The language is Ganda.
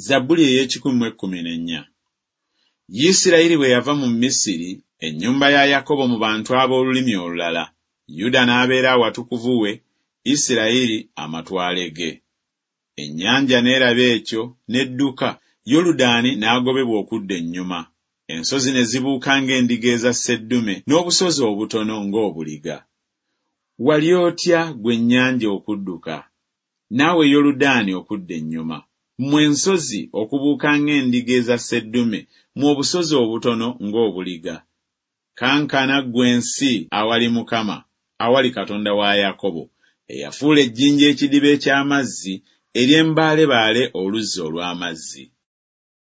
Zabbuli ey'ekikumi mu ekkumi n'ennya. Isirayiri bwe yava mu Misiri, ennyumba ya Yakobo mu bantu ab'olulimi olulala, Yuda n'abeera awatukuvu we, Isirayiri amatwale ge. Ennyanja n'eraba ekyo, n'edduka, Yoludaani n'agobebwa okudda ennyuma. Ensozi ne zibuuka ng'endiga eza sseddume, n'obusozi obutono ng'obuliga. Wali otya ggwe ennyanja okudduka, naawe Yoludaani okudda ennyuma, mmwe ensozi okubuuka ng'endiga eza sseddume, mmwe obusozi obutono ng'obuliga? Kankana ggwe ensi awali Mukama, awali Katonda wa Yakobo, eyafuula ejjinja ekidiba eky'amazzi, ery'embaalebaale oluzzi olw'amazzi.